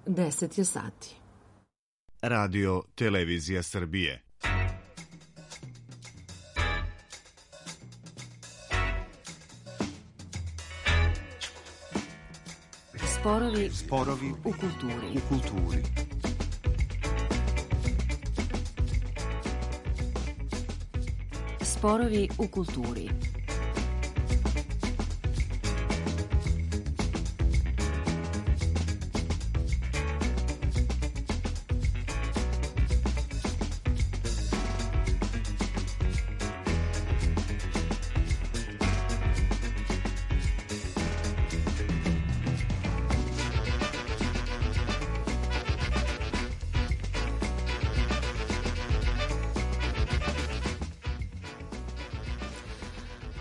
10 je sati. Radio Televizija Srbije. Sporovi u kulturi. Sporovi u kulturi.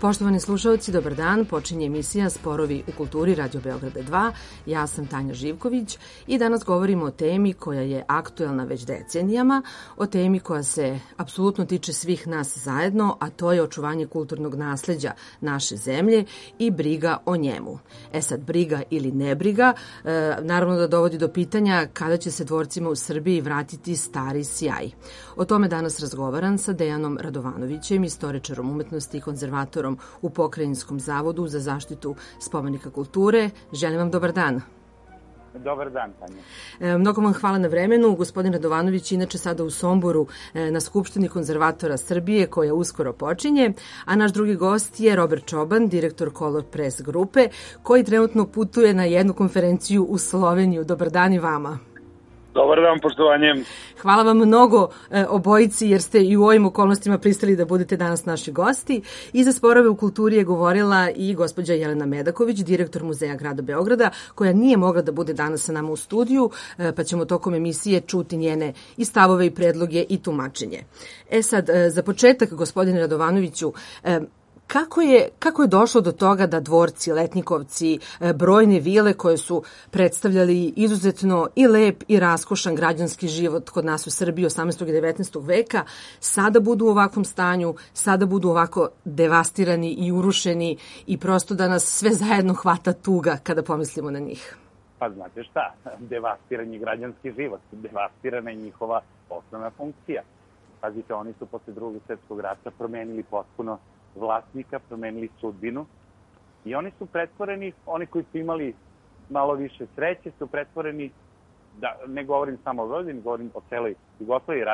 Poštovani slušalci, dobar dan. Počinje emisija Sporovi u kulturi Radio Beograda 2. Ja sam Tanja Živković i danas govorimo o temi koja je aktuelna već decenijama, o temi koja se apsolutno tiče svih nas zajedno, a to je očuvanje kulturnog nasleđa naše zemlje i briga o njemu. Sad, briga ili nebriga, naravno da dovodi do pitanja kada će se dvorcima u Srbiji vratiti stari sjaj. O tome danas razgovaram sa Dejanom Radovanovićem, istoričarom umetnosti i konzervatorom u Pokrajinskom zavodu za zaštitu spomenika kulture. Želim vam dobar dan. Dobar dan, Tanja. Mnogo vam hvala na vremenu. Gospodin Radovanović inače sada u Somboru na Skupštini konzervatora Srbije koja uskoro počinje, a naš drugi gost je Robert Čoban, direktor Color Press grupe, koji trenutno putuje na jednu konferenciju u Sloveniju. Dobar dan i vama. Dobar dan, poštovanjem. Hvala vam mnogo obojici jer ste i u ovim okolnostima pristali da budete danas naši gosti. I za sporove u kulturi je govorila i gospođa Jelena Medaković, direktor Muzeja grada Beograda, koja nije mogla da bude danas sa nama u studiju, pa ćemo tokom emisije čuti njene i stavove i predloge i tumačenje. Sad, za početak, gospodine Radovanoviću, Kako je došlo do toga da dvorci, letnjikovci, brojne vile koje su predstavljali izuzetno i lep i raskošan građanski život kod nas u Srbiji 18. i 19. veka, sada budu u ovakvom stanju, sada budu ovako devastirani i urušeni i prosto da nas sve zajedno hvata tuga kada pomislimo na njih? Pa znate šta, devastiran je građanski život, devastirana je njihova osnovna funkcija. Pazite, oni su posle Drugog svjetskog rata promenili potpuno vlasnika, promenili sudbinu i oni su pretvoreni, oni koji su imali malo više sreće, su pretvoreni, da ne govorim samo o Vojvodini, govorim o celoj Jugoslaviji,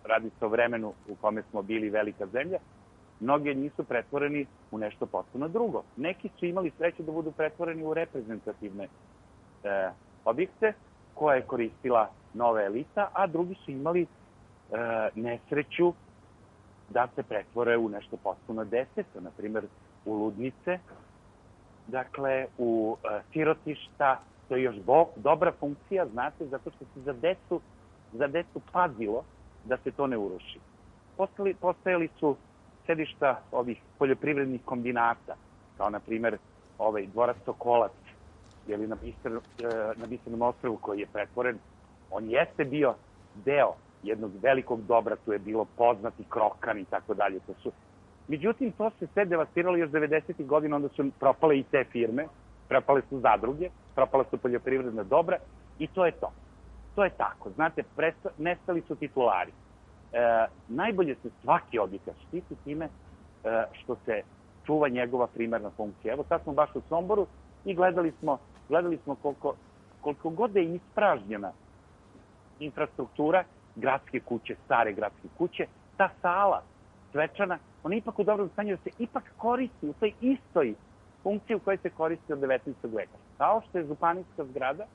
radi se o vremenu u kome smo bili velika zemlja, mnogi od njih su pretvoreni u nešto potpuno drugo. Neki su imali sreće da budu pretvoreni u reprezentativne objekte koje je koristila nova elita, a drugi su imali nesreću da se pretvore u nešto potpuno deseto, na primjer u ludnice, dakle u sirotišta, to je još dobra funkcija, znate, zato što se za decu pazilo da se to ne uruši. Postojali su sedišta ovih poljoprivrednih kombinata, kao na primjer dvorac Sokolac, ili na Bisernom ostrvu koji je pretvoren, on jeste bio deo jednog velikog dobra, tu je bilo poznati Krokan i tako dalje. Međutim, to se sve devastiralo još 90. godina, onda su propale i te firme, propale su zadruge, propala su poljoprivredna dobra i to je to. To je tako. Znate, nestali su titulari. Najbolje se svaki objekat štiti time što se čuva njegova primarna funkcija. Evo sad smo baš u Somboru i gledali smo koliko god je ispražnjena infrastruktura gradske kuće, stare gradske kuće, ta sala svečana, ona je ipak u dobrom stanju da se ipak koristi u toj istoj funkciji u kojoj se koristi od 19. veka. Kao što je županijska zgrada,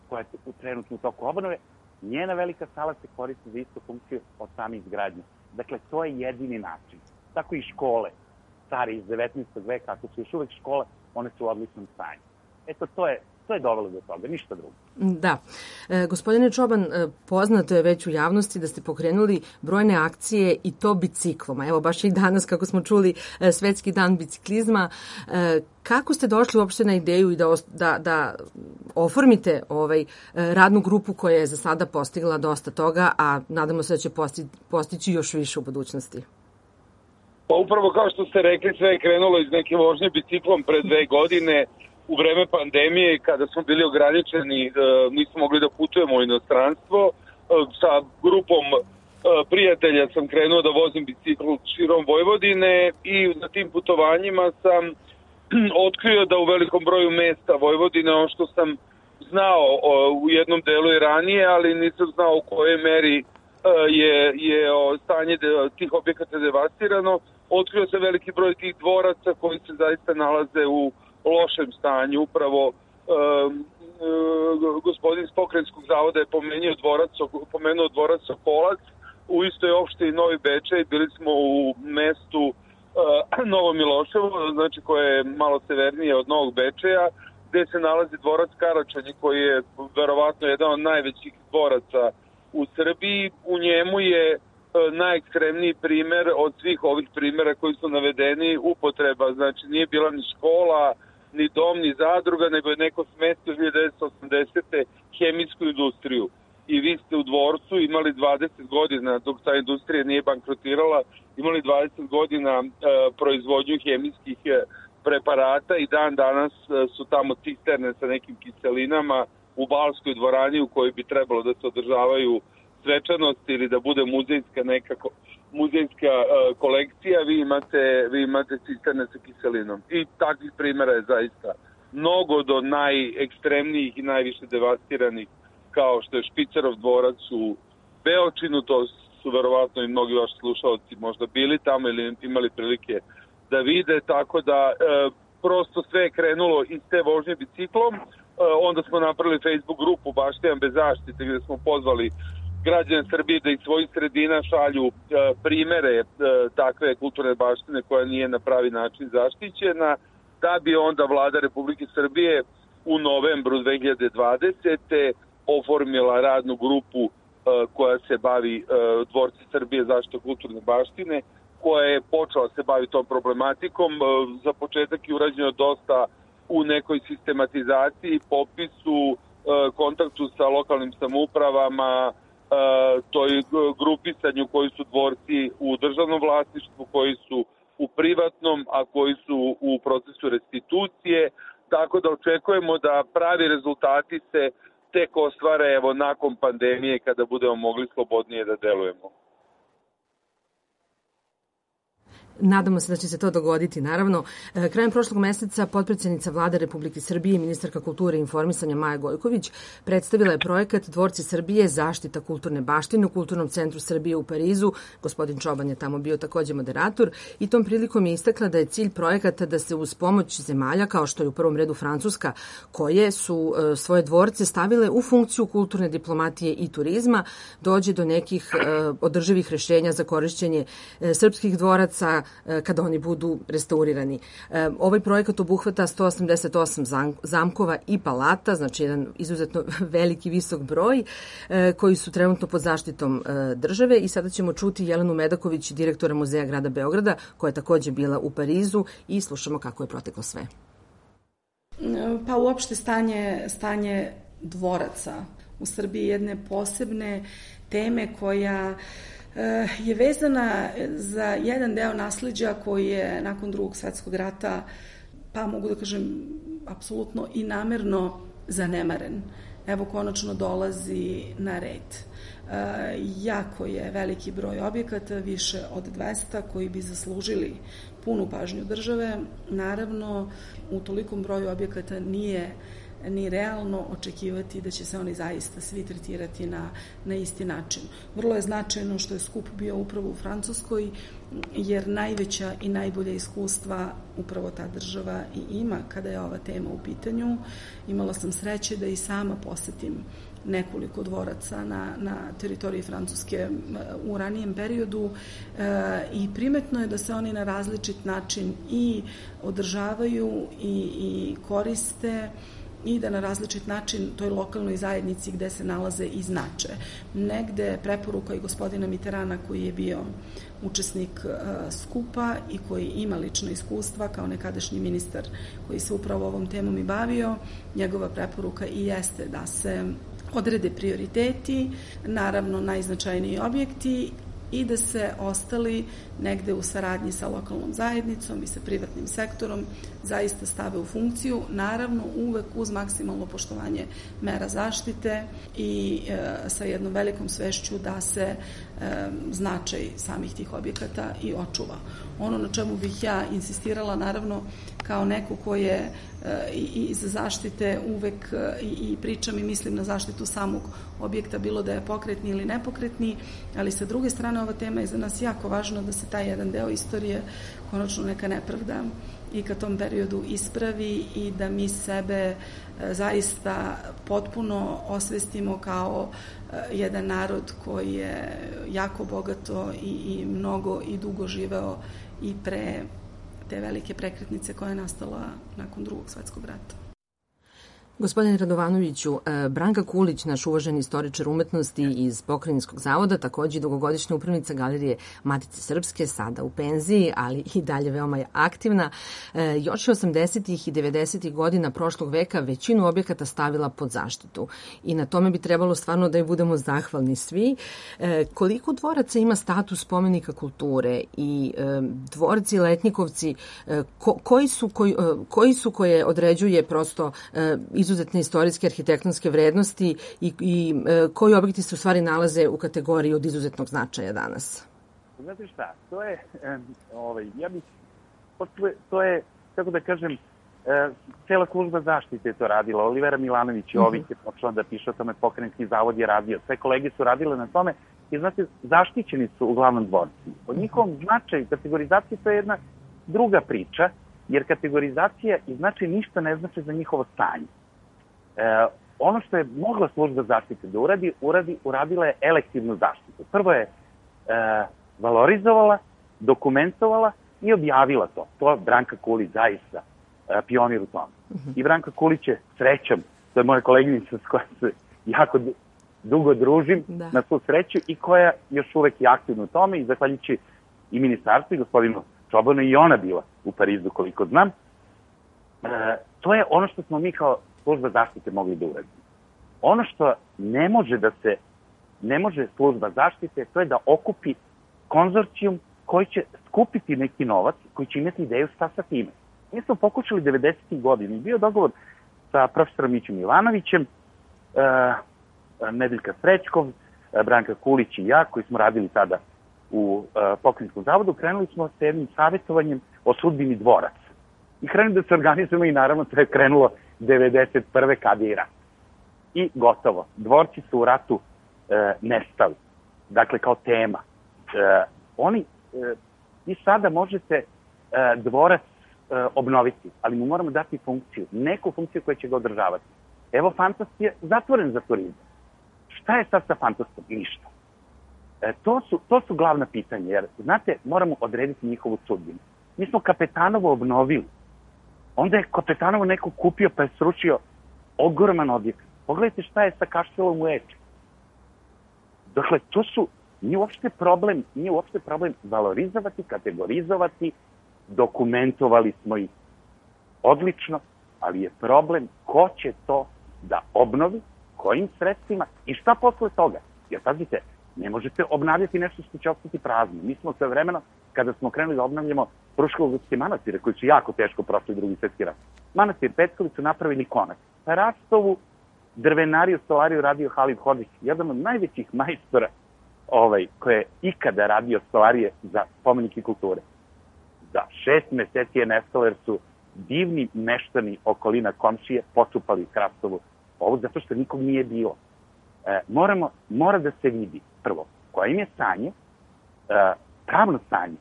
koja je trenutno u toku obnove, njena velika sala se koristi za istu funkciju od samih izgradnje. Dakle, to je jedini način. Tako i škole, stare iz 19. veka, ako su još uvek škole, one su u odličnom stanju. Eto, to je dovelo do toga, ništa drugo. Da. Gospodine Čoban, poznato je već u javnosti da ste pokrenuli brojne akcije i to bicikloma. Evo, baš i danas, kako smo čuli, Svetski dan biciklizma. Kako ste došli uopšte na ideju i da oformite radnu grupu koja je za sada postigla dosta toga, a nadamo se da će postići još više u budućnosti? Pa upravo kao što ste rekli, sve je krenulo iz neke vožnje biciklom pre 2 godine. u vreme pandemije, kada smo bili ograničeni, nismo mogli da putujemo u inostranstvo. Sa grupom prijatelja sam krenuo da vozim bicikl širom Vojvodine i na tim putovanjima sam otkrio da u velikom broju mesta Vojvodine, ono što sam znao u jednom delu i ranije, ali nisam znao u kojoj meri je stanje tih objekata devastirano. Otkrio se veliki broj tih dvoraca koji se zaista nalaze u lošem stanju. Upravo gospodin iz Pokrajinskog zavoda je pomenuo dvorac Sokolac u istoj opštini Novi Bečej. Bili smo u mestu Novo Miloševo, znači koje je malo severnije od Novog Bečeja, gde se nalazi dvorac Karačanji, koji je verovatno jedan od najvećih dvoraca u Srbiji. U njemu je najekstremniji primer od svih ovih primera koji su navedeni upotreba. Znači nije bila ni škola, ni dom, ni zadruga, nego je neko smestio 1980. hemijsku industriju. I vi ste u dvorcu imali 20 godina, dok ta industrija nije bankrotirala, imali 20 godina proizvodnju hemijskih preparata i dan danas su tamo cisterne sa nekim kiselinama u Balskoj dvorani u kojoj bi trebalo da se održavaju svečanosti ili da bude muzejska kolekcija, vi imate cisterne sa kiselinom. I takvih primjera je zaista mnogo, do najekstremnijih i najviše devastiranih, kao što je Špicerov dvorac u Beočinu. To su verovatno i mnogi vaši slušalci možda bili tamo ili imali prilike da vide, tako da prosto sve je krenulo iz te vožnje biciklom. Onda smo napravili Facebook grupu Baštijan bez zaštite, gde smo pozvali građane Srbije da iz svojih sredina šalju primere takve kulturne baštine koja nije na pravi način zaštićena, da bi onda Vlada Republike Srbije u novembru 2020. oformila radnu grupu koja se bavi Dvorci Srbije zaštite kulturne baštine, koja je počela se bavi tom problematikom. Za početak je urađeno dosta u nekoj sistematizaciji, popisu, kontaktu sa lokalnim samoupravama, toj grupisanju koji su dvorci u državnom vlasništvu, koji su u privatnom, a koji su u procesu restitucije. Tako da očekujemo da pravi rezultati se tek ostvare nakon pandemije, kada budemo mogli slobodnije da delujemo. Nadamo se da će se to dogoditi, naravno. Krajem prošlog meseca potpredsednica Vlade Republike Srbije i ministarka kulture i informisanja Maja Gojković predstavila je projekat Dvorci Srbije zaštita kulturne baštine u Kulturnom centru Srbije u Parizu. Gospodin Čoban je tamo bio takođe moderator i tom prilikom je istakla da je cilj projekata da se uz pomoć zemalja, kao što je u prvom redu Francuska, koje su svoje dvorce stavile u funkciju kulturne diplomatije i turizma, dođe do nekih održivih rešenja za korišćenje srpskih dvoraca kada oni budu restaurirani. Ovaj projekat obuhvata 188 zamkova i palata, znači jedan izuzetno veliki, visok broj, koji su trenutno pod zaštitom države. I sada ćemo čuti Jelenu Medaković, direktora Muzeja grada Beograda, koja je takođe bila u Parizu, i slušamo kako je proteklo sve. Pa uopšte stanje dvoraca u Srbiji jedne posebne teme koja je vezana za jedan deo nasleđa koji je nakon Drugog svetskog rata, pa mogu da kažem, apsolutno i namerno zanemaren. Evo, konačno dolazi na red. Jako je veliki broj objekata, više od 200, koji bi zaslužili punu pažnju države. Naravno, u tolikom broju objekata nije ni realno očekivati da će se oni zaista svi tretirati na isti način. Vrlo je značajno što je skup bio upravo u Francuskoj, jer najveća i najbolja iskustva upravo ta država i ima kada je ova tema u pitanju. Imala sam sreće da i sama posetim nekoliko dvoraca na teritoriji Francuske u ranijem periodu i primetno je da se oni na različit način i održavaju i koriste, i da na različit način toj lokalnoj zajednici gde se nalaze i znače. Negde preporuka i gospodina Mitterana, koji je bio učesnik skupa i koji ima lično iskustva kao nekadašnji ministar koji se upravo ovom temom i bavio, njegova preporuka i jeste da se odrede prioriteti, naravno najznačajniji objekti, i da se ostali negde u saradnji sa lokalnom zajednicom i sa privatnim sektorom zaista stave u funkciju, naravno uvek uz maksimalno poštovanje mera zaštite i sa jednom velikom svešću da se značaj samih tih objekata i očuva. Ono na čemu bih ja insistirala, naravno, kao neko ko je i za zaštite uvek i pričam i mislim na zaštitu samog objekta, bilo da je pokretni ili nepokretni, ali sa druge strane ova tema je za nas jako važno da se taj jedan deo istorije, konačno neka nepravda i ka tom periodu ispravi i da mi sebe zaista potpuno osvestimo kao jedan narod koji je jako bogato i mnogo i dugo živeo i pre te velike prekretnice koja je nastala nakon Drugog svetskog rata. Gospodine Radovanoviću, Branka Kulić, naš uvaženi istoričar umetnosti iz Pokrajinskog zavoda, takođe dugogodišnja upravnica Galerije Matice Srpske, sada u penziji, ali i dalje veoma je aktivna, još je 80. i 90. godina prošlog veka većinu objekata stavila pod zaštitu. I na tome bi trebalo stvarno da je budemo zahvalni svi. Koliko dvoraca ima status spomenika kulture i dvorci, letnjikovci, koji su koje određuje prosto izuzetne istorijske arhitektonske vrednosti i koji objekti se u stvari nalaze u kategoriji od izuzetnog značaja danas? Znate šta, to je, to je, kako da kažem, cela služba zaštite je to radila. Olivera Milanović Jović je počela da piše o tome, Pokrajinski zavod je radio. Sve kolege su radile na tome i, znate, zaštićeni su uglavnom dvorci. O njihovom značaju, kategorizaciji, to je jedna druga priča, jer kategorizacija i značaj ništa ne znači za njihovo stanje. Ono što je mogla služba zaštite da uradila je elektivnu zaštitu. Prvo je valorizovala, dokumentovala i objavila to. To je Branka Kulić zaista pionir u tome. I Branka Kulić je srećom, to je moja koleginica s kojom se jako dugo družim, na svu sreću, i koja još uvek je aktivna u tome i zahvaljujući i ministarstvu i gospodinu Čobanu i ona bila u Parizu, koliko znam. To je ono što smo mi kao služba zaštite mogli da uradimo. Ono što ne može služba zaštite, to je da okupi konzorcijum koji će skupiti neki novac, koji će imati ideju šta sa time. Mi smo pokušali 90. godina. Bio dogovor sa profesorom Mićom Milanovićem, Nedeljka Srećkov, Branka Kulić i ja, koji smo radili tada u Pokrajinskom zavodu, krenuli smo sa jednim savjetovanjem o sudbini dvoraca. I krenuli da se organizujemo i naravno to je krenulo 91. kada je i rat. I gotovo. Dvorci su u ratu nestali. Dakle, kao tema. I sada možete dvorac obnoviti, ali mu moramo dati funkciju. Neku funkciju koja će ga održavati. Evo, Fantast je zatvoren za turizam. Šta je sad sa Fantastom? Ništa. To su glavna pitanja, jer, znate, moramo odrediti njihovu sudbinu. Mi smo Kapetanovo obnovili. Onda je Kapetanovo neko kupio pa je sručio ogroman objekt. Pogledajte šta je sa Kaštelom u Eču. Dakle, nije uopšte problem valorizovati, kategorizovati, dokumentovali smo ih odlično, ali je problem ko će to da obnovi, kojim sredstvima i šta posle toga. Jer, pazite, ne možete obnavljati nešto što će ostati prazno. Mi smo sve vremeno, kada smo krenuli da obnavljamo Fruškogorske manastire, koji su jako teško prošli Drugi svetski rat. Manastir Petković su napravili konac. Rastovu, drvenariju, stolariju radio Halid Hodžić, jedan od najvećih majstora koji je ikada radio stolarije za spomenike kulture. Za 6 meseci je nestalo jer su divni meštani okolina komšije počupali Hrastovu ovu, zato što nikog nije bilo. Mora da se vidi prvo koja im je stanje, pravno stanje,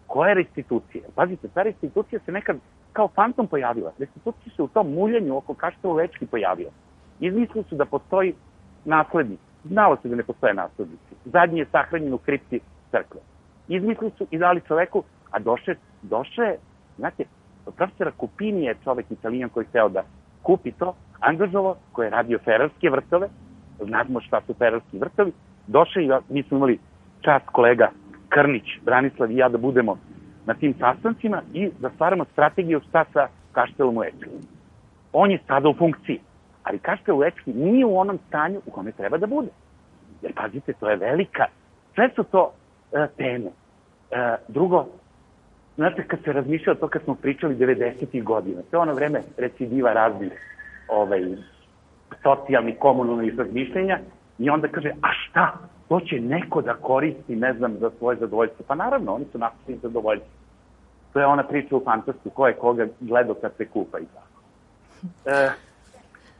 koja je restitucija. Pazite, ta restitucija se nekad kao fantom pojavila. Restitucija se u tom muljanju oko Kaštela u Ečki pojavila. Izmislili su da postoji naslednik. Znalo se da ne postoje naslednici. Zadnji je sahranjen u kripti crkve. Izmislili su i dali čoveku, a došao je, znate, profesora Kupini je čovek Italijan koji hteo da kupi to, angažovao, koji je radio Ferarske vrtove, znamo šta su Ferarski vrtovi, došao i mi smo imali čast kolega Krnić, Branislav i ja da budemo na tim sastancima i da stvaramo strategiju šta sa Kaštelom u Ečki. On je sada u funkciji, ali Kaštel u Ečki nije u onom stanju u kome treba da bude. Jer, pazite, to je velika, sve su to teme. Drugo, znate, kad se razmišljalo to kad smo pričali 90. godina, to je ono vreme recidiva raznih socijalnih, komunalnih razmišljenja i onda kaže, a šta? To će neko da koristi, ne znam, za svoje zadovoljstvo. Pa naravno, oni su napisali zadovoljstvo. To je ona priča u fantastu, ko je koga gledao kad se kupa i tako.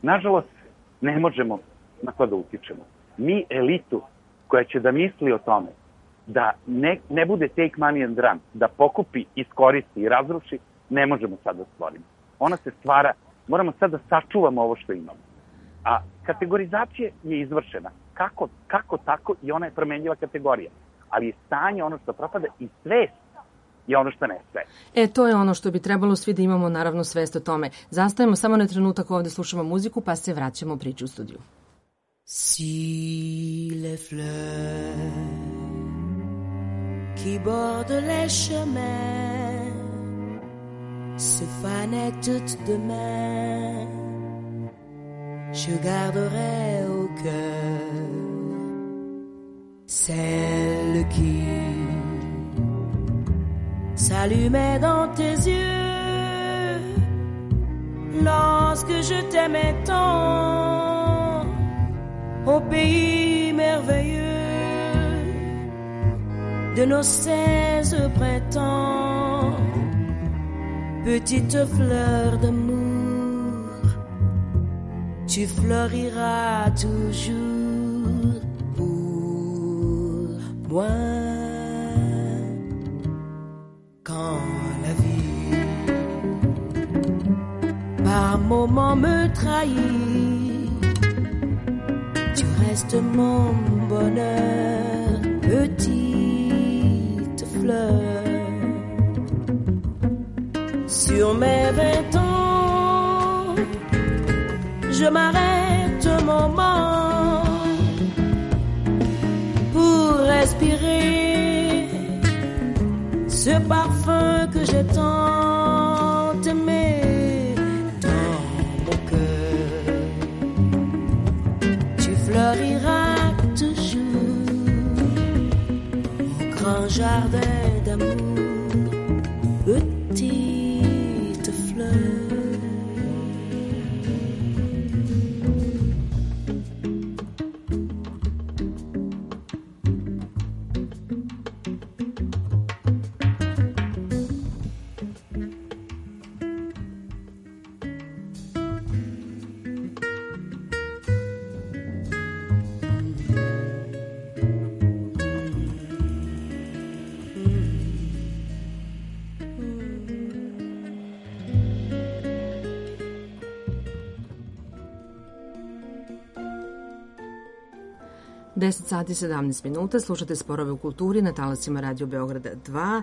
Nažalost, ne možemo na to da utičemo. Mi elitu koja će da misli o tome da ne bude take money and run, da pokupi, iskoristi i razruši, ne možemo sad da stvorimo. Ona se stvara, moramo sad da sačuvamo ovo što imamo. A kategorizacija je izvršena. Kako tako i ona je promenljiva kategorija. Ali je stanje ono što propada i svest je ono što nestaje. To je ono što bi trebalo svi da imamo, naravno, svest o tome. Zastajemo samo na trenutak, ovde slušamo muziku, pa se vraćamo u priču u studiju. Si les fleurs qui bordent les chemins se fanaient toutes demain, je garderai au cœur celle qui s'allumait dans tes yeux lorsque je t'aimais tant au pays merveilleux de nos 16 printemps. Petite fleur d'amour, tu fleuriras toujours pour moi. Quand la vie par moments me trahit, tu restes mon bonheur, petite fleur. Sur mes 20 ans, je m'arrête un moment pour respirer ce parfum que j'ai tant aimé dans mon cœur. Tu fleuriras toujours au grand jardin d'amour, petite fleur. Deset sati 17 minuta, slušate Sporove u kulturi na talasima Radio Beograda 2.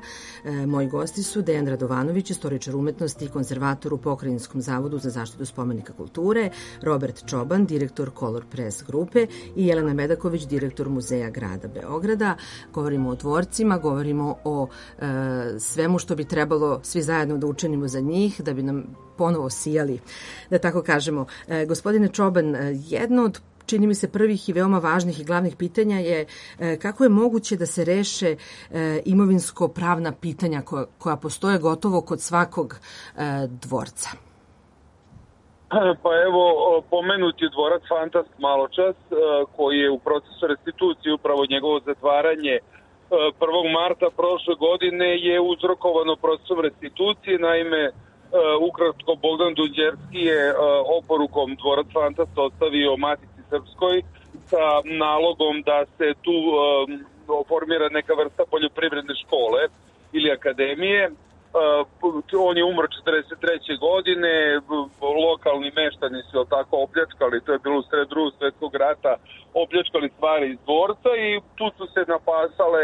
Moji gosti su Dejan Radovanović, istoričar umetnosti i konzervator u Pokrajinskom zavodu za zaštitu spomenika kulture, Robert Čoban, direktor Color Press grupe i Jelena Medaković, direktor Muzeja grada Beograda. Govorimo o dvorcima, govorimo o svemu što bi trebalo svi zajedno da učinimo za njih, da bi nam ponovo sijali, da tako kažemo. Gospodine Čoban, jedno od čini mi se prvih i veoma važnih i glavnih pitanja je kako je moguće da se reše imovinsko-pravna pitanja koja postoje gotovo kod svakog dvorca. Pa evo, pomenut je dvorac Fantast maločas, koji je u procesu restitucije, upravo njegovo zatvaranje 1. marta prošle godine je uzrokovano procesom restitucije. Naime, ukratko, Bogdan Dunđerski je oporukom dvorac Fantast ostavio Matici Srpskoj sa nalogom da se tu formira neka vrsta poljoprivredne škole ili akademije. On je umro 43. godine, lokalni meštani su tako opljačkali, to je bilo u sred Drugog svjetskog rata, opljačkali stvari iz dvorca i tu su se napasale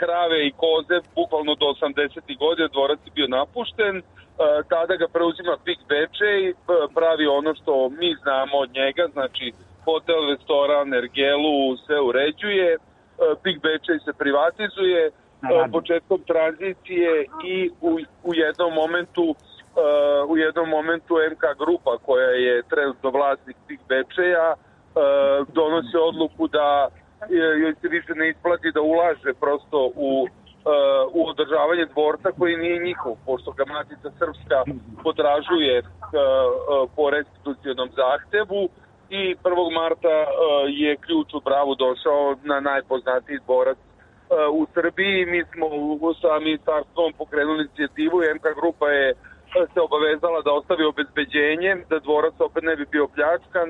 krave i koze, bukvalno do 80. godine, dvorac je bio napušten. Tada ga preuzima PIK Bečej, pravi ono što mi znamo od njega, znači hotel, restoran, ergelu, sve uređuje, PIK Bečej se privatizuje početkom tranzicije i u jednom momentu MK Grupa, koja je trenutno vlasnik PIK Bečeja, donosi odluku da joj se više ne isplati da ulaže prosto u održavanje dvorca koji nije njihov, pošto ga Matica Srpska potražuje po restitucionom zahtevu i 1. marta je ključ u Bravu došao na najpoznatiji dvorac u Srbiji. Mi smo sa ministarstvom pokrenuli inicijativu, MK grupa je se obavezala da ostavi obezbeđenje, da dvorac opet ne bi bio pljačkan.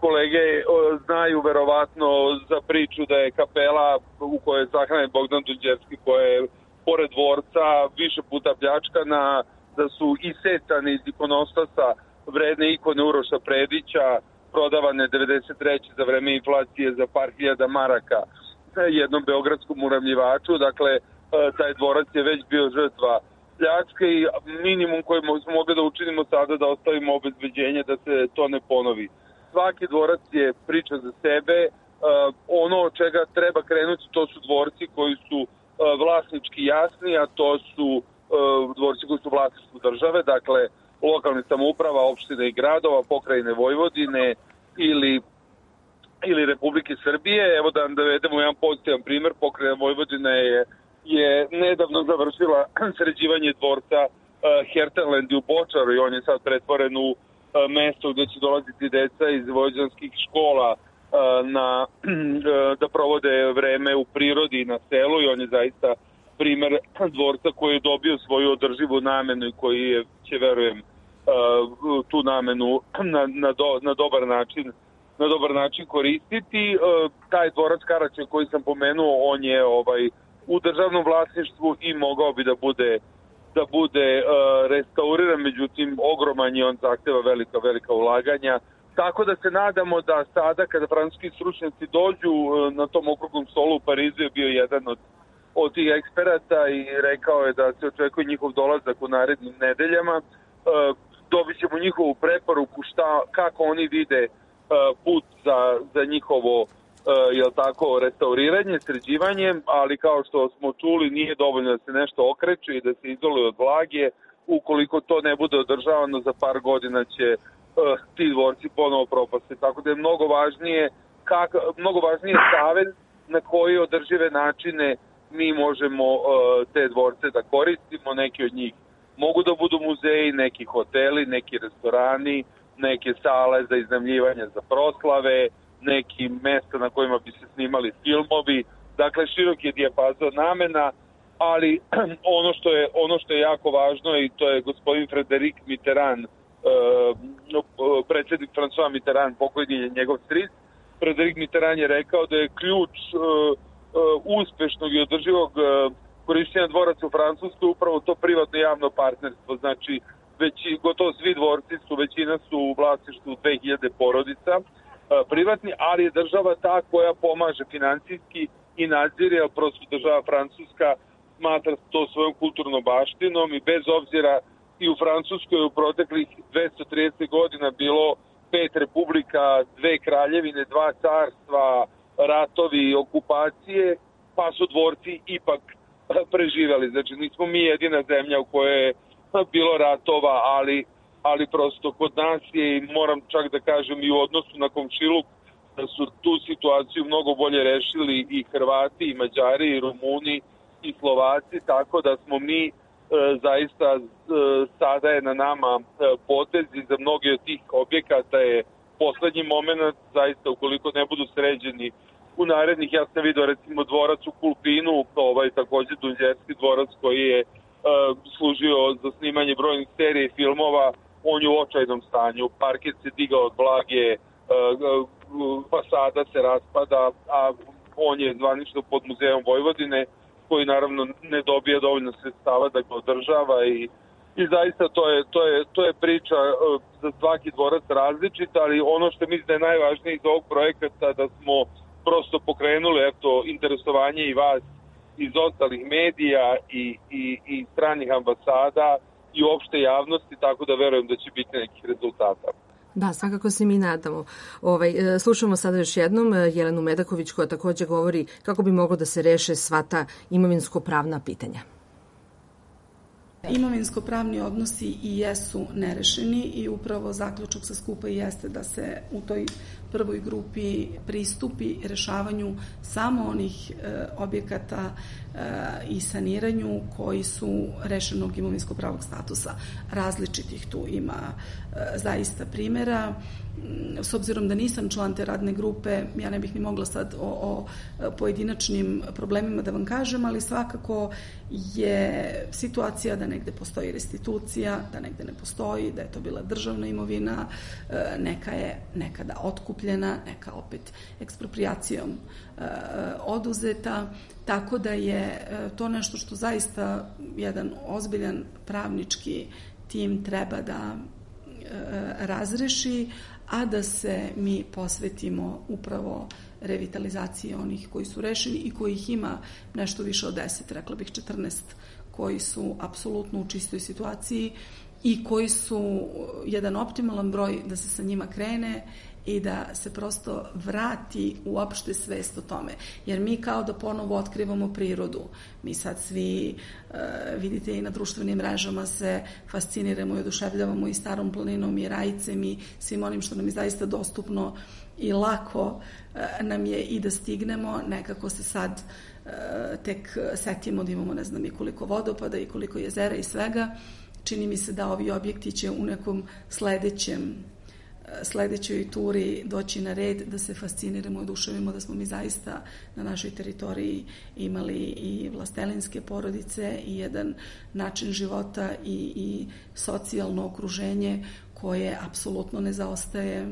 Kolege znaju verovatno za priču da je kapela u kojoj je sahranjen Bogdan Đurđevski, koja je pored dvorca više puta pljačkana, da su isecani iz ikonostasa vredne ikone Uroša Predića, prodavane 93. za vreme inflacije za par hiljada maraka jednom beogradskom uramljivaču. Dakle, taj dvorac je već bio žrtva pljačke i minimum koji smo mogli da učinimo sada da ostavimo obezbeđenje da se to ne ponovi. Svaki dvorac je priča za sebe. Ono od čega treba krenuti to su dvorci koji su vlasnički jasni, a to su dvorci koji su vlasništvu države, dakle lokalne samouprava, opštine i gradova, pokrajine Vojvodine ili Republike Srbije. Evo da navedemo jedan pozitivan primer. Pokrajina Vojvodina je nedavno završila sređivanje dvorca Hertenland u Bočaru i on je sad pretvoren u mesto gde će dolaziti deca iz vojvođanskih škola da provode vreme u prirodi i na selu i on je zaista primer dvorca koji je dobio svoju održivu namenu i koji će, verujem, tu namenu na dobar način koristiti. Taj dvorac Karaća koji sam pomenuo, on je u državnom vlasništvu i mogao bi da bude restauriran, međutim ogroman je, on zahteva velika ulaganja. Tako da se nadamo da sada kada francuski stručnjaci dođu na tom okruglom stolu u Parizu je bio jedan od tih eksperata i rekao je da se očekuje njihov dolazak u narednim nedeljama. Dobit ćemo njihovu preporuku kako oni vide put za njihovo restauriranje, sređivanje, ali kao što smo čuli nije dovoljno da se nešto okreće i da se izoluje od vlage. Ukoliko to ne bude održavano, za par godina će ti dvorci ponovo propasti. Tako da je mnogo važnije savez na koji održive načine mi možemo te dvorce da koristimo. Neki od njih mogu da budu muzeji, neki hoteli, neki restorani, neke sale za iznajmljivanje za proslave, neki mesta na kojima bi se snimali filmovi. Dakle, širok je dijapazon namena, ali ono što je jako važno i to je gospodin Frédéric Mitterrand, predsjednik François Mitterrand, pokojni je njegov stric. Frédéric Mitterrand je rekao da je ključ uspešnog i održivog korišćenja dvoraca u Francuskoj upravo to privatno javno partnerstvo. Znači, gotovo svi dvorci većina su u vlasništvu 2000 porodica privatni, ali je država ta koja pomaže finansijski i nadzire, jer prosto država Francuska smatra to svojom kulturnom baštinom i bez obzira i u Francuskoj u proteklih 230 godina bilo 5 republika, 2 kraljevine, 2 carstva, ratovi, okupacije, pa su dvorci ipak preživjeli. Znači nismo mi jedina zemlja u kojoj je bilo ratova, ali prosto kod nas je, i moram čak da kažem i u odnosu na komšiluk, da su tu situaciju mnogo bolje rešili i Hrvati, i Mađari, i Rumuni, i Slovaci, tako da smo mi zaista sada je na nama potez i za mnogi od tih objekata je poslednji moment, zaista ukoliko ne budu sređeni u narednih, ja sam vidio recimo dvorac u Kulpinu, takođe Dunđerski dvorac koji je služio za snimanje brojnih serija i filmova, on je u očajnom stanju, parket se digao od vlage, fasada se raspada, a on je zvanično pod Muzejom Vojvodine, koji naravno ne dobija dovoljno sredstava da ga održava i zaista to je priča za svaki dvorac različita, ali ono što mislim da je najvažnije iz ovog projekata da smo prosto pokrenuli interesovanje i vas iz ostalih medija i stranih ambasada i uopšte javnosti, tako da verujem da će biti nekih rezultata. Da, svakako se mi nadamo. Slušamo sada još jednom Jelenu Medaković koja takođe govori kako bi moglo da se reše sva ta imovinsko-pravna pitanja. Imovinsko-pravni odnosi i jesu nerešeni i upravo zaključak sa skupa jeste da se u toj prvoj grupi pristupi rešavanju samo onih objekata i saniranju koji su rešenog imovinsko-pravog statusa. Različitih tu ima zaista primjera. S obzirom da nisam član te radne grupe, ja ne bih ni mogla sad o pojedinačnim problemima da vam kažem, ali svakako je situacija da negde postoji restitucija, da negde ne postoji, da je to bila državna imovina, neka je nekada otkupljena, neka opet eksproprijacijom oduzeta, tako da je to nešto što zaista jedan ozbiljan pravnički tim treba da razreši, a da se mi posvetimo upravo revitalizaciji onih koji su rešeni i kojih ima nešto više od 10, rekla bih 14, koji su apsolutno u čistoj situaciji i koji su jedan optimalan broj da se sa njima krene i da se prosto vrati uopšte svest o tome. Jer mi kao da ponovo otkrivamo prirodu. Mi sad svi, vidite i na društvenim mrežama se fasciniramo i oduševljavamo i Starom planinom i Rajicem i svim onim što nam je zaista dostupno i lako nam je i da stignemo. Nekako se sad tek setimo da imamo ne znam i koliko vodopada i koliko jezera i svega. Čini mi se da ovi objekti će u nekom sledećoj turi doći na red, da se fasciniramo i oduševimo da smo mi zaista na našoj teritoriji imali i vlastelinske porodice i jedan način života i socijalno okruženje koje apsolutno ne zaostaje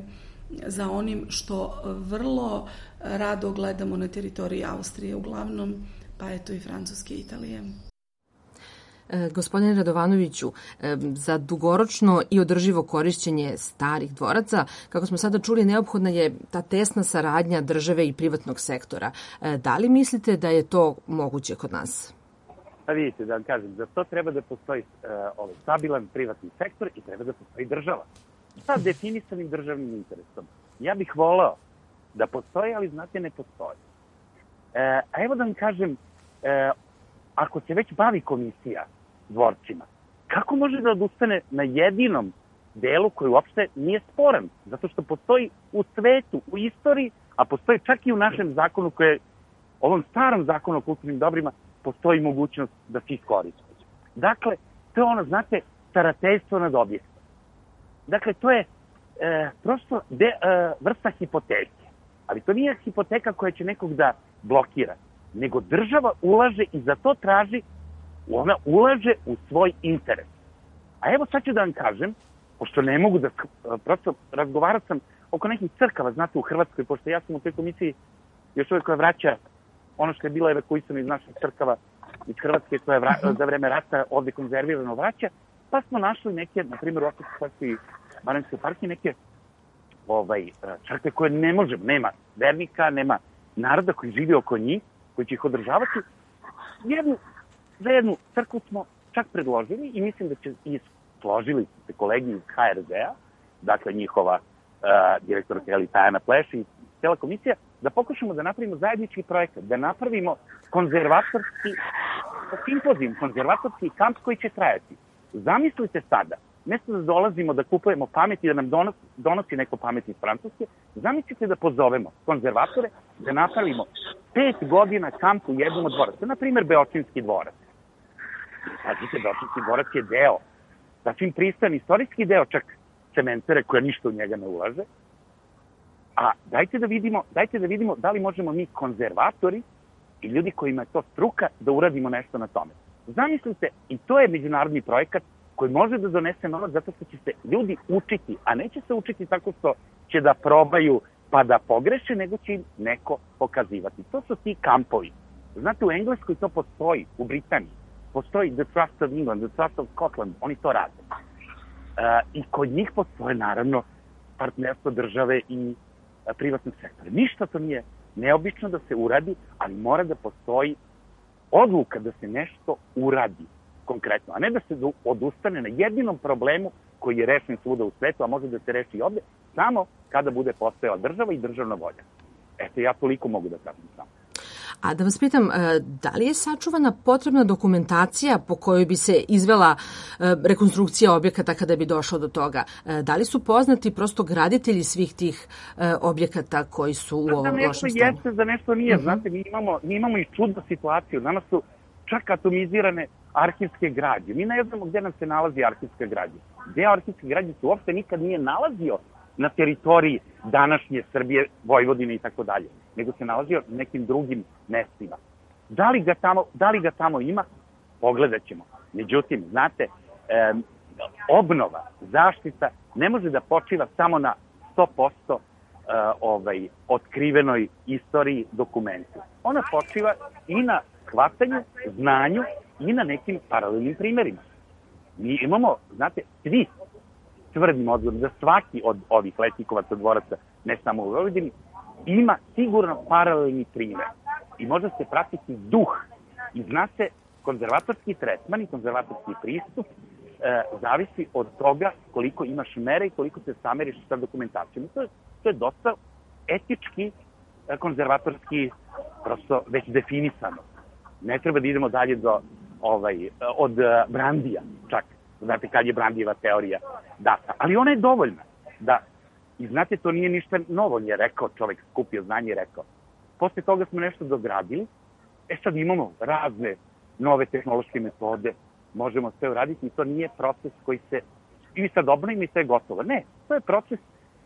za onim što vrlo rado gledamo na teritoriji Austrije uglavnom, pa eto i Francuske i Italije. Gospodine Radovanoviću, za dugoročno i održivo korišćenje starih dvoraca, kako smo sada čuli, neophodna je ta tesna saradnja države i privatnog sektora. Da li mislite da je to moguće kod nas? Pa vidite, da vam kažem, za to treba da postoji stabilan privatni sektor i treba da postoji država. Sa definisanim državnim interesom. Ja bih voleo da postoji, ali znate, ne postoji. A evo da vam kažem, ako se već bavi komisija dvorcima, kako može da odustane na jedinom delu koji uopšte nije sporan? Zato što postoji u svetu, u istoriji, a postoji čak i u našem zakonu, ovom starom zakonu o kulturnim dobrima, postoji mogućnost da se iskoristi. Dakle, to je ono, znate, starateljstvo nad objektom. Dakle, to je prosto vrsta hipoteke. Ali to nije hipoteka koja će nekog da blokira, nego država ulaže i za to traži, ona ulaže u svoj interes. A evo sad ću da vam kažem, pošto ne mogu da, prosto razgovarat sam oko nekih crkava, znate, u Hrvatskoj, pošto ja sam u toj komisiji još uvijek koja vraća ono što je bilo evakuisano iz naših crkava iz Hrvatske, koja je za vreme rata ovde konzervirano vraća, pa smo našli neke, na primjer u Opetskoj i Baranjskoj parki, neke crkve koje ne možemo, nema vernika, nema naroda koji živi oko njih, koji će ih održavati. Za jednu crkvu smo čak predložili i mislim da će i složili se kolegi iz HRZ-a, dakle njihova direktorka Tajana Pleš i cijela komisija, da pokušamo da napravimo zajednički projekat, da napravimo konzervatorski simpozijum, konzervatorski kamp koji će trajati. Zamislite sada, mjesto da dolazimo da kupujemo pamet i da nam donosi neko pamet iz Francuske, zamislite da pozovemo konzervatore da napravimo 5 godina kamp u jednom od dvoraca. Na primjer, Beočinski dvorac. Pazite, Beočinski dvorac je deo, sasvim pristojan istorijski deo čak cementere koja ništa u njega ne ulaže. A dajte da vidimo da li možemo mi konzervatori i ljudi kojima je to struka da uradimo nešto na tome. Zamislite, i to je međunarodni projekat koji može da donese novac zato što će se ljudi učiti, a neće se učiti tako što će da probaju pa da pogreše, nego će im neko pokazivati. To su ti kampovi. Znate, u Engleskoj to postoji, u Britaniji. Postoji The Trust of England, The Trust of Scotland, oni to rade. I kod njih postoje, naravno, partnerstvo države i privatnog sektora. Ništa to nije neobično da se uradi, ali mora da postoji odluka da se nešto uradi konkretno, a ne da se odustane na jedinom problemu koji je rešen svuda u svetu, a može da se reši i ovde, samo kada bude postojala država i državna volja. Eto, ja toliko mogu da kažem samo. A da vas pitam, da li je sačuvana potrebna dokumentacija po kojoj bi se izvela rekonstrukcija objekata kada bi došlo do toga? Da li su poznati prosto graditelji svih tih objekata koji su u ovom lošem stanju? Za nešto jeste, za nešto nije. Znate, mi imamo i čudnu situaciju. Danas su čak atomizirane arhivske građe. Mi ne znamo gde nam se nalazi arhivska građa. Gde arhivske građe se uopšte nikad nije nalazio na teritoriji današnje Srbije, Vojvodine i tako dalje, nego se nalazio na nekim drugim mestima. Da li ga tamo ima? Pogledat ćemo. Međutim, znate, obnova, zaštita ne može da počiva samo na 100% otkrivenoj istoriji dokumentu. Ona počiva i na shvatanju, znanju i na nekim paralelnim primerima. Mi imamo, znate, svi tvrdimo odgovor da svaki od ovih letnikovaca dvoraca, ne samo u Vojvodini, ima sigurno paralelni primer. I može se pratiti duh. I zna se, konzervatorski tretman i konzervatorski pristup zavisi od toga koliko imaš mere i koliko se sameriš sa dokumentacijom. To je dosta etički, konzervatorski, prosto već definisano. Ne treba da idemo dalje od Brandija, čak. Znate kad je Brandijeva teorija data. Ali ona je dovoljna. I znate, to nije ništa novo, on je rekao, čovek skupio znanje i rekao. Posle toga smo nešto dogradili, sad imamo razne nove tehnološke metode, možemo sve uraditi i to nije proces koji se, i sad obnovimo i sve je gotovo. Ne, to je proces,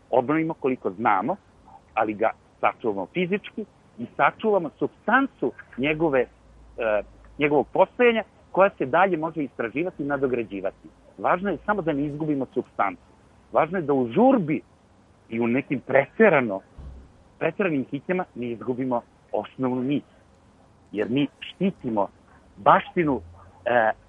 obnovimo koliko znamo, ali ga sačuvamo fizički i sačuvamo supstancu njegovog postojanja koja se dalje može istraživati i nadograđivati. Važno je samo da ne izgubimo supstancu. Važno je da u žurbi i u nekim preteranim hitnjama ne izgubimo osnovnu nit. Jer mi štitimo baštinu,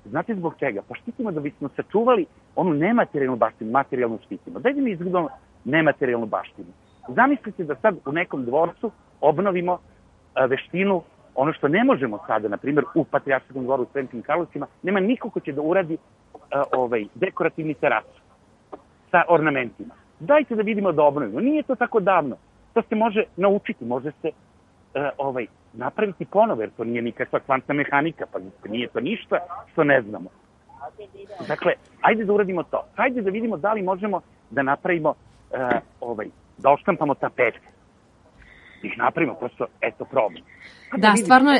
znate zbog čega? Pa štitimo da bismo sačuvali onu nematerijalnu baštinu, materijalnu štitimo. Dajde mi izgubimo nematerijalnu baštinu. Zamislite da sad u nekom dvorcu obnovimo veštinu, ono što ne možemo sada, na primjer, u Patrijarškom dvoru u Sremskim Karlovcima, nema niko ko će da uradi dekorativni terasu sa ornamentima. Dajte da vidimo da obnovimo. Nije to tako davno. To se može naučiti, može se napraviti ponovo, jer to nije nikakva kvantna mehanika, pa nije to ništa što ne znamo. Dakle, ajde da uradimo to. Ajde da vidimo da li možemo da napravimo, da oštampamo tapete. Ih napravimo, prosto, eto, problem. Da,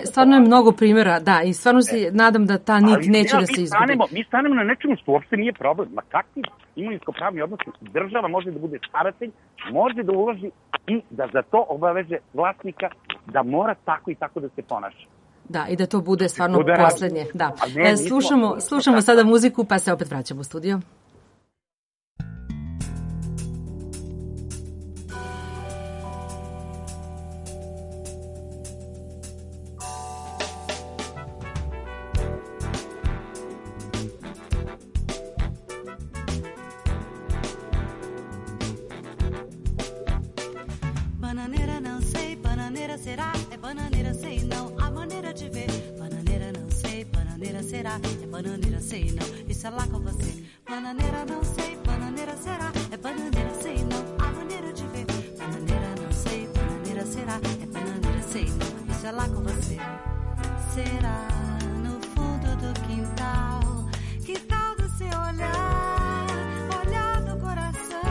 stvarno je mnogo primjera, da, i stvarno se nadam da ta nit neće da se izgubi. Mi stanemo na nečemu što uopšte nije problem. Ma kakvi imovinsko-pravni odnosi, država može da bude staratelj, može da uloži i da za to obaveže vlasnika da mora tako i tako da se ponaša. Da, i da to bude stvarno poslednje. Da. Slušamo sada muziku, pa se opet vraćamo u studio. Bananeira sei não, isso é lá com você. Bananeira não sei, bananeira será. É bananeira sei não, a maneira de ver. Bananeira não sei, bananeira será. É bananeira sei não, isso é lá com você. Será no fundo do quintal, quintal do seu olhar, olhar do coração.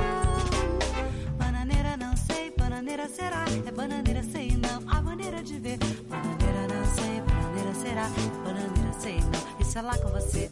Bananeira não sei, bananeira será. É bananeira sei não, a maneira de ver. Bananeira não sei, bananeira será. É bananeira sei não, isso é lá com você.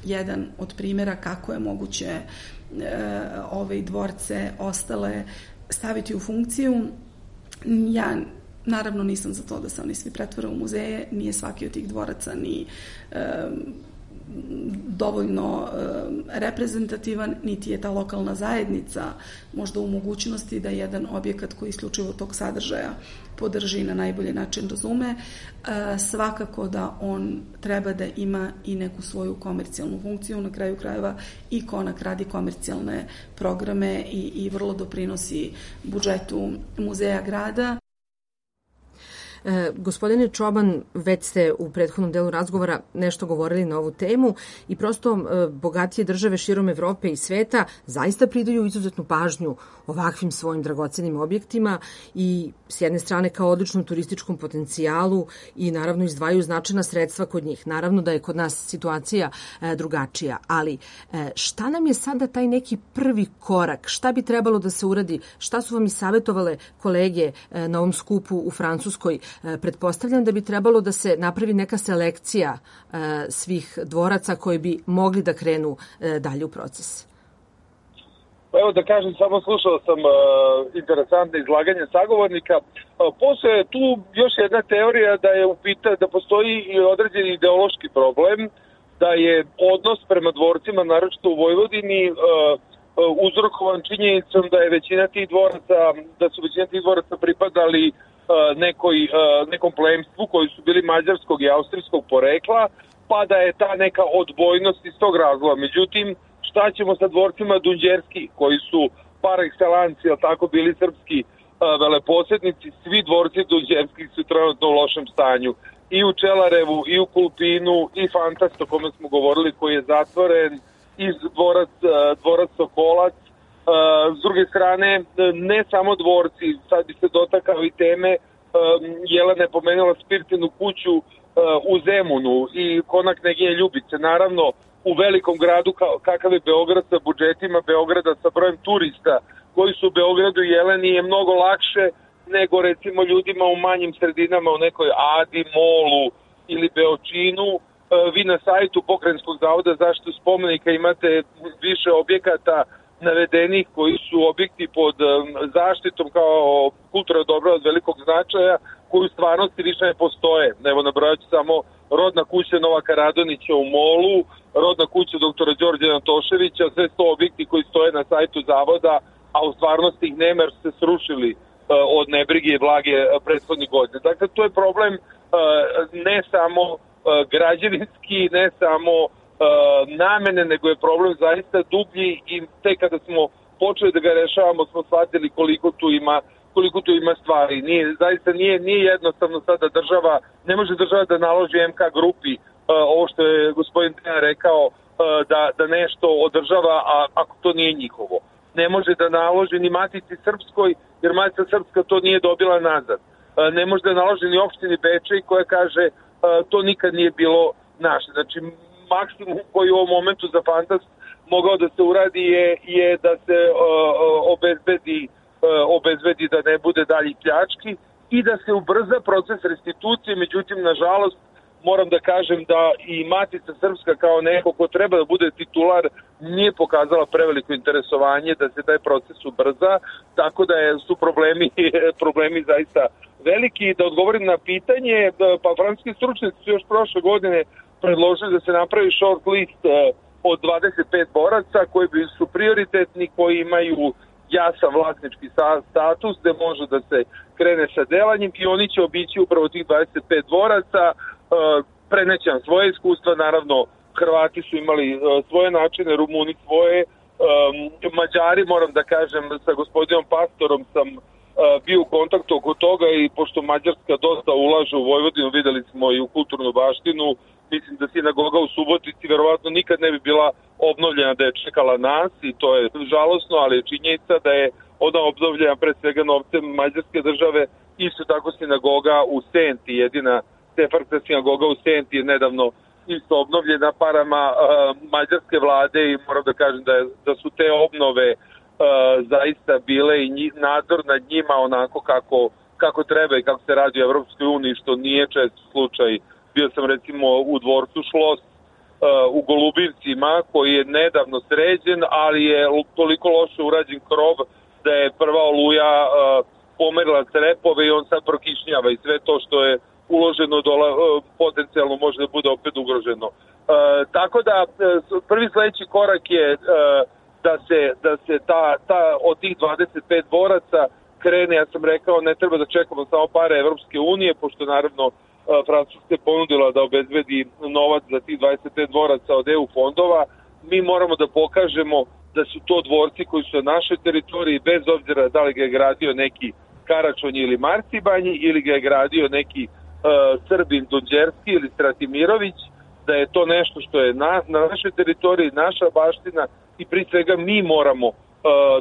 jedan od primjera kako je moguće ove dvorce ostale staviti u funkciju. Ja naravno nisam za to da se oni svi pretvore u muzeje, nije svaki od tih dvoraca ni dovoljno reprezentativan, niti je ta lokalna zajednica možda u mogućnosti da jedan objekat koji isključivo tog sadržaja podrži na najbolji način razume. Svakako da on treba da ima i neku svoju komercijalnu funkciju, na kraju krajeva i Konak radi komercijalne programe i vrlo doprinosi budžetu muzeja grada. Gospodine Čoban, već ste u prethodnom delu razgovora nešto govorili na ovu temu i prosto bogatije države širom Evrope i sveta zaista pridaju izuzetnu pažnju ovakvim svojim dragocenim objektima i s jedne strane kao odličnom turističkom potencijalu i naravno izdvajaju značajna sredstva kod njih. Naravno da je kod nas situacija drugačija, ali šta nam je sada taj neki prvi korak? Šta bi trebalo da se uradi? Šta su vam i savjetovale kolege na ovom skupu u Francuskoj? Pretpostavljam da bi trebalo da se napravi neka selekcija svih dvoraca koji bi mogli da krenu dalje u proces. Evo da kažem, samo slušao sam interesantne izlaganje sagovornika. Postoje tu još jedna teorija da je da postoji i određeni ideološki problem, da je odnos prema dvorcima, naročito u Vojvodini, uzrokovan činjenicom da je da su većina tih dvoraca pripadali nekom plemstvu koji su bili mađarskog i austrijskog porekla, pa da je ta neka odbojnost iz tog razloga. Međutim, šta ćemo sa dvorcima Dunđerski, koji su par excellence, tako bili srpski veleposjednici? Svi dvorci Dunđerskih su trenutno u lošem stanju. I u Čelarevu, i u Kulpinu, i Fantast, o kome smo govorili, koji je zatvoren, i dvorac Sokolac. S druge strane, ne samo dvorci, sad bi se dotakao i teme, Jelena je pomenula Spirtinu kuću u Zemunu i Konak Kneginje Ljubice. Naravno, u velikom gradu kakav je Beograd sa budžetima Beograda, sa brojem turista koji su u Beogradu i Jeleni, je mnogo lakše nego recimo ljudima u manjim sredinama, u nekoj Adi, Molu ili Beočinu. Vi na sajtu Pokrajinskog zavoda zaštitu spomenika imate više objekata navedenih koji su objekti pod zaštitom kao kulturna dobra od velikog značaja, koji u stvarnosti više ne postoje. Evo, nabrojaću samo rodna kuća Novaka Radonića u Molu, rodna kuća doktora Đorđa Antoševića, sve su to objekti koji stoje na sajtu zavoda, a u stvarnosti ih nema jer su se srušili od nebrige i vlage prethodnih godina. Dakle, to je problem ne samo građevinski, ne samo namene, nego je problem zaista dublji i tek kada smo počeli da ga rešavamo smo shvatili koliko tu ima stvari. Zaista nije jednostavno sada ne može država da naloži MK grupi ovo što je gospodin Dejan rekao, da nešto održava, ako to nije njihovo. Ne može da naloži ni Matici Srpskoj, jer Matica Srpska to nije dobila nazad. Ne može da naloži ni opštini Bečej koja kaže to nikad nije bilo naše. Znači, maksimum koji u ovom momentu za Fantast mogao da se uradi je da se obezbedi da ne bude dalji pljački i da se ubrza proces restitucije. Međutim, nažalost, moram da kažem da i Matica Srpska kao neko ko treba da bude titular nije pokazala preveliko interesovanje da se taj proces ubrza, tako da su problemi zaista veliki. Da odgovorim na pitanje, pa francuski stručnjaci su još prošle godine predložili da se napravi short list od 25 boraca koji su prioritetni, koji imaju jasan vlasnički status gde može da se krene sa delanjem i oni će obići upravo tih 25 dvoraca. Prenećam svoje iskustva, naravno Hrvati su imali svoje načine, Rumuni svoje, Mađari, moram da kažem, sa gospodinom Pastorom sam bio u kontaktu oko toga i pošto Mađarska dosta ulaže u Vojvodinu, videli smo i u kulturnu baštinu, mislim da sinagoga u Subotici verovatno nikad ne bi bila obnovljena da je čekala nas i to je žalosno, ali je činjenica da je ona obnovljena pre svega novcem Mađarske države. Isto tako sinagoga u Senti, jedina sefarska sinagoga u Senti je nedavno isto obnovljena parama mađarske vlade i moram da kažem da su te obnove zaista bile i nadzor nad njima onako kako treba i kako se radi u Evropskoj uniji, što nije čest slučaj. Bio sam recimo u dvorcu Šlos u Golubivcima, koji je nedavno sređen, ali je toliko loše urađen krov da je prva oluja pomerila crepove i on sad prokišnjava i sve to što je uloženo potencijalno može da bude opet ugroženo. Tako da prvi sledeći korak je da se od tih 25 boraca krene, ja sam rekao, ne treba da čekamo samo pare Evropske unije, pošto naravno Francuska je ponudila da obezbedi novac za tih 25 dvoraca od EU fondova. Mi moramo da pokažemo da su to dvorci koji su na našoj teritoriji, bez obzira da li ga je gradio neki Karačonji ili Marcibanji ili ga je gradio neki Srbin Dunđerski ili Stratimirović, da je to nešto što je na našoj teritoriji, naša baština i pri svega mi moramo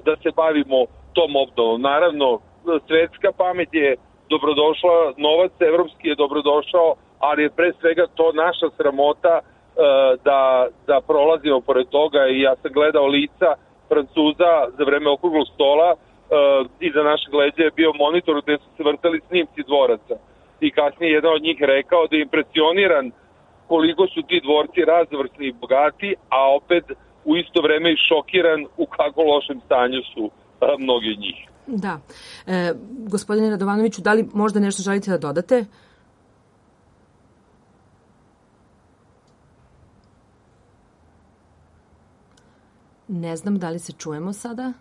da se bavimo tom obnovom. Naravno, svetska pamet je dobrodošla, novac evropski je dobrodošao, ali je pre svega to naša sramota da prolazimo pored toga i ja sam gledao lica Francuza za vreme okruglog stola, iza našeg leđa je bio monitor gde su se vrtali snimci dvoraca i kasnije jedan od njih rekao da je impresioniran koliko su ti dvorci razvrsni i bogati, a opet u isto vreme i šokiran u kako lošem stanju su mnogi od njih. Da. Gospodine Radovanoviću, da li možda nešto želite da dodate? Ne znam da li se čujemo sada.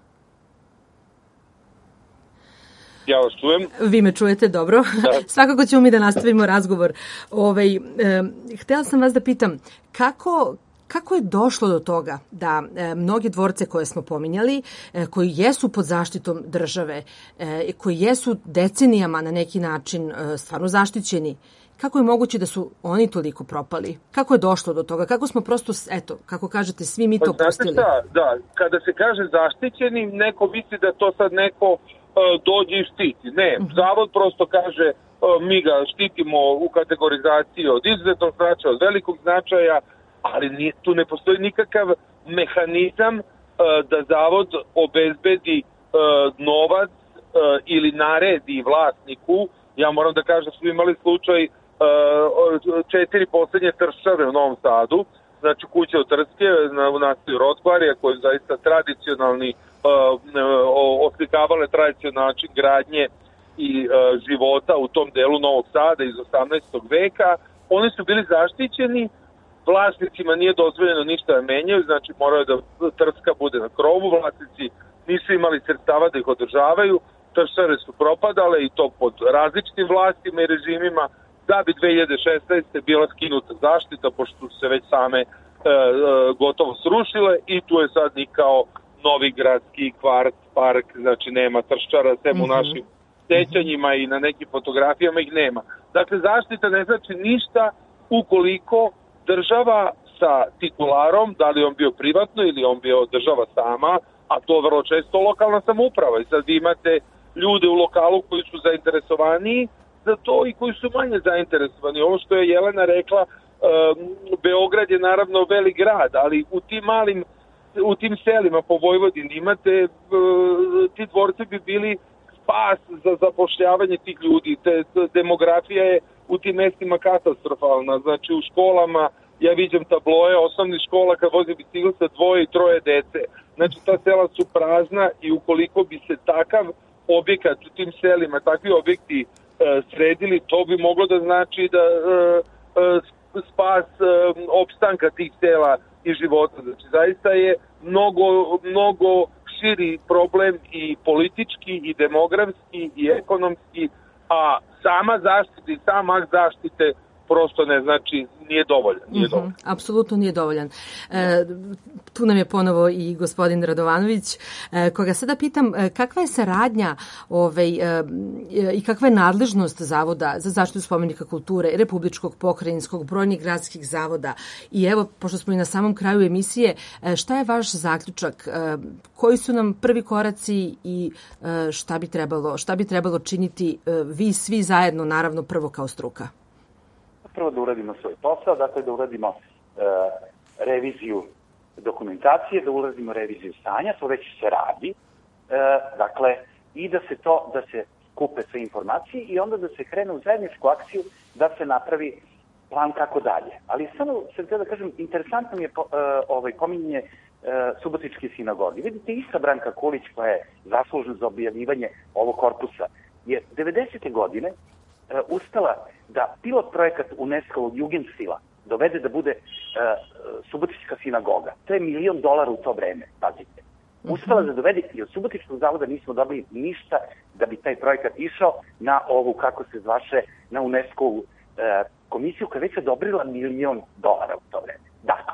Ja vas čujem. Vi me čujete, dobro. Da. Svakako ćemo mi da nastavimo razgovor. Htela sam vas da pitam, kako je došlo do toga da mnoge dvorce koje smo pominjali, koji jesu pod zaštitom države, koji jesu decenijama na neki način stvarno zaštićeni, kako je moguće da su oni toliko propali? Kako je došlo do toga? Kako smo prosto, eto, kako kažete, svi mi to pustili? Da, kada se kaže zaštićeni, neko misli da to sad neko dođe i štiti. Ne, zavod prosto kaže mi ga štitimo u kategorizaciji od izuzetnog značaja, od velikog značaja, ali tu ne postoji nikakav mehanizam da zavod obezbedi novac ili naredi vlasniku. Ja moram da kažem da smo imali slučaj 4 poslednje tršave u Novom Sadu, znači kuće od Trske u naselju Rotkvarija, koji je zaista tradicionalni, oslikavale tradicionalni način gradnje i života u tom delu Novog Sada iz 18. veka. Oni su bili zaštićeni, vlasnicima nije dozvoljeno ništa da menjaju, znači moraju da Trska bude na krovu, vlasnici nisu imali sredstava da ih održavaju, tršare su propadale i to pod različitim vlastima i režimima, da bi 2016. bila skinuta zaštita, pošto su se već same gotovo srušile i tu je sad nikao novi gradski kvart, park, znači nema trščara, sem u našim sećanjima i na nekim fotografijama ih nema. Dakle, zaštita ne znači ništa ukoliko država sa titularom, da li on bio privatno ili on bio država sama, a to vrlo često lokalna samouprava. I sad vi imate ljude u lokalu koji su zainteresovaniji za to i koji su manje zainteresovani. Ovo što je Jelena rekla, Beograd je naravno velik grad, ali u tim selima po Vojvodini imate, ti dvorci bi bili spas za zapošljavanje tih ljudi. Demografija je u tim mestima katastrofalna. Znači u školama ja viđam tabloje osnovnih škola kad vozi bicikl sa 2 i 3 dece. Znači ta sela su prazna i ukoliko bi se takav objekat u tim selima, takvi objekti sredili, to bi moglo da znači da spas opstanka tih sela i života. Znači zaista je mnogo širi problem i politički i demografski i ekonomski, a sama zaštita i sam akt zaštite prosto ne znači, nije dovoljan. Apsolutno nije dovoljan. Tu nam je ponovo i gospodin Radovanović, koga sada pitam kakva je saradnja i kakva je nadležnost Zavoda za zaštitu spomenika kulture, Republičkog, pokrajinskog, brojnih gradskih zavoda. I evo, pošto smo i na samom kraju emisije, šta je vaš zaključak? Koji su nam prvi koraci i šta bi trebalo činiti vi svi zajedno, naravno prvo kao struka? Prvo da uradimo svoj posao, dakle da uradimo reviziju dokumentacije, da uradimo reviziju stanja, to već se radi, dakle, i da se skupe sve informacije i onda da se krene u zajedničku akciju da se napravi plan kako dalje. Ali samo sam htio da kažem, interesantno mi je pominjanje Subotičke sinagoge. Vidite, ista Branka Kulić, koja je zaslužna za objavljivanje ovog korpusa, je 90. godine ustala da pilot projekat UNESCO-ovog Jugendstila dovede da bude Subotička sinagoga. To je $1 milion u to vreme, pazite. Ustala da dovede i od Subotičkog zavoda nismo dobili ništa da bi taj projekat išao na ovu, kako se zvaše, na UNESCO-ovu komisiju koja je već odobrila $1 milion u to vreme. Dakle,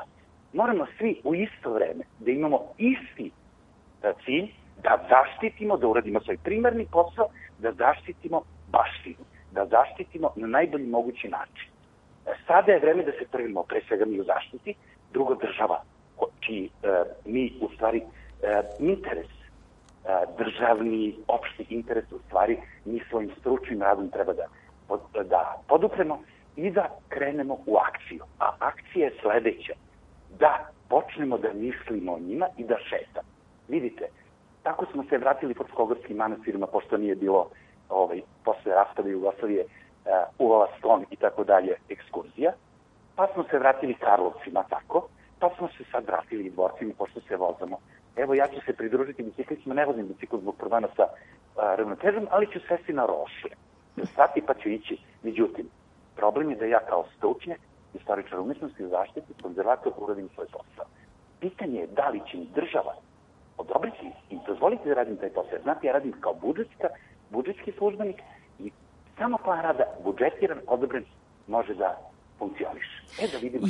moramo svi u isto vreme da imamo isti cilj, da zaštitimo, da uradimo svoj primarni posao, da zaštitimo baštinu, da zaštitimo na najbolji mogući način. Sada je vreme da se trvimo, pre svega mi u zaštiti, drugo država, čiji mi u stvari interes, državni, opšti interes, u stvari mi svojim stručnim radom treba da podupremo i da krenemo u akciju. A akcija je sledeća, da počnemo da mislimo o njima i da šetamo. Vidite, tako smo se vratili pod Skogorskim manastirima, pošto nije bilo posle raspade Jugoslavije uvala Sklon i tako dalje ekskurzija, pa smo se vratili Karlovcima tako, pa smo se sad vratili i Dvorcima, pošto se vozamo. Evo, ja ću se pridružiti biciklistima, ne vozim bicikl zbog problema sa ravnotežom, ali ću sesti na Rošle. Stati pa ću ići. Međutim, problem je da ja kao stručnjak, istoričar umetnosti i zaštiti, konzervator, uradim svoj posao. Pitanje je da li će mi država odobriti i dozvoliti da radim taj posao. Znate, ja radim kao budžetski službenik i samo plan rada budžetiran, odobren, može da funkcioniš. Da vidimo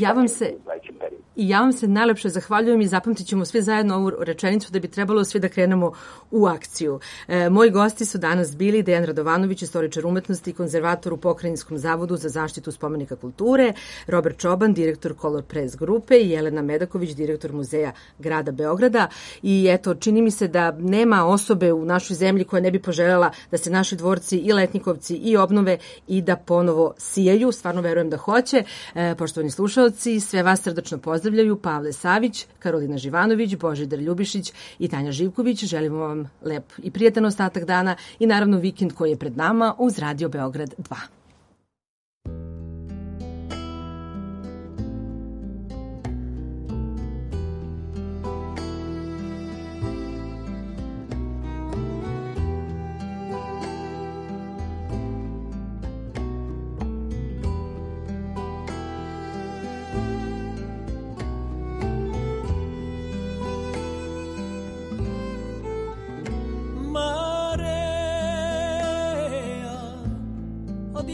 ja vam se najlepše zahvaljujem i zapamtit ćemo svi zajedno ovu rečenicu da bi trebalo svi da krenemo u akciju. Moji gosti su danas bili Dejan Radovanović, istoričar umetnosti i konzervator u Pokrajinskom zavodu za zaštitu spomenika kulture, Robert Čoban, direktor Color Press grupe i Jelena Medaković, direktor Muzeja grada Beograda. I eto, čini mi se da nema osobe u našoj zemlji koja ne bi poželjela da se naši dvorci i Letnjikovci i obnove i da ponovo sijaju. Stvarno verujem da hoće. Poštovani slušaoci, sve vas srdačno pozdravljaju Pavle Savić, Karolina Živanović, Božidar Ljubišić i Tanja Živković. Želimo vam lep i prijatan ostatak dana i naravno vikend koji je pred nama uz Radio Beograd 2.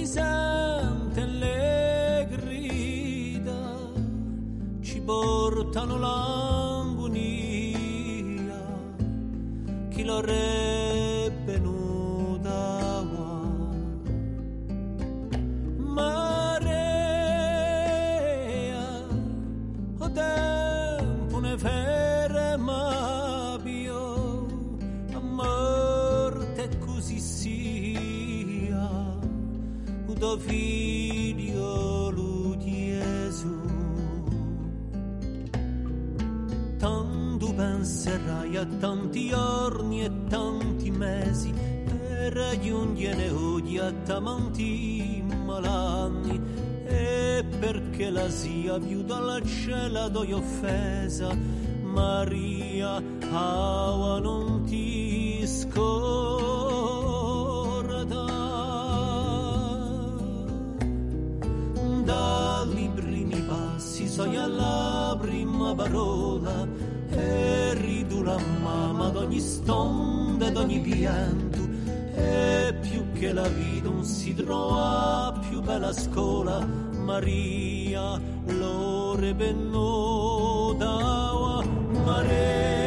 Sente le grida, ci portano l'agonia, chi l'avrebbe nuda marea, o tempo ne ferma più, a morte così sia. Do figlio lu Gesù, tanto penserai a tanti giorni e tanti mesi per raggiungere oggi a tanti malanni, e perché la sia più dalla cielo d'ogni offesa, Maria ava non ti dai primi passi sogni alla prima parola e ridu la mamma d'ogni stonda d'ogni pianto, e più che la vita non si trova più bella scuola, Maria l'ore bennoda Maria.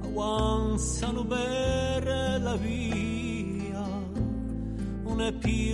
Avanzano per la via, non è più